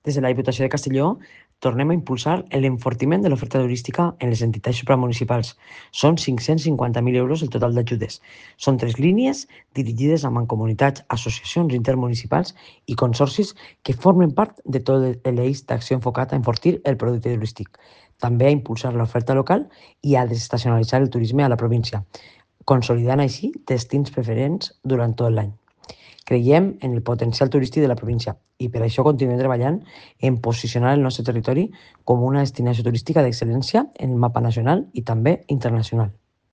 Des de la Diputació de Castelló tornem a impulsar l'enfortiment de l'oferta turística en les entitats supramunicipals. Són 550.000 euros el total d'ajudes. Són 3 línies dirigides a mancomunitats, associacions intermunicipals i consorcis que formen part de tot l'eix d'acció enfocat a enfortir el producte turístic. També a impulsar l'oferta local i a desestacionalitzar el turisme a la província, consolidant així destins preferents durant tot l'any. Creiem en el potencial turístic de la província i per això continuem treballant en posicionar el nostre territori com una destinació turística d'excel·lència en el mapa nacional i també internacional.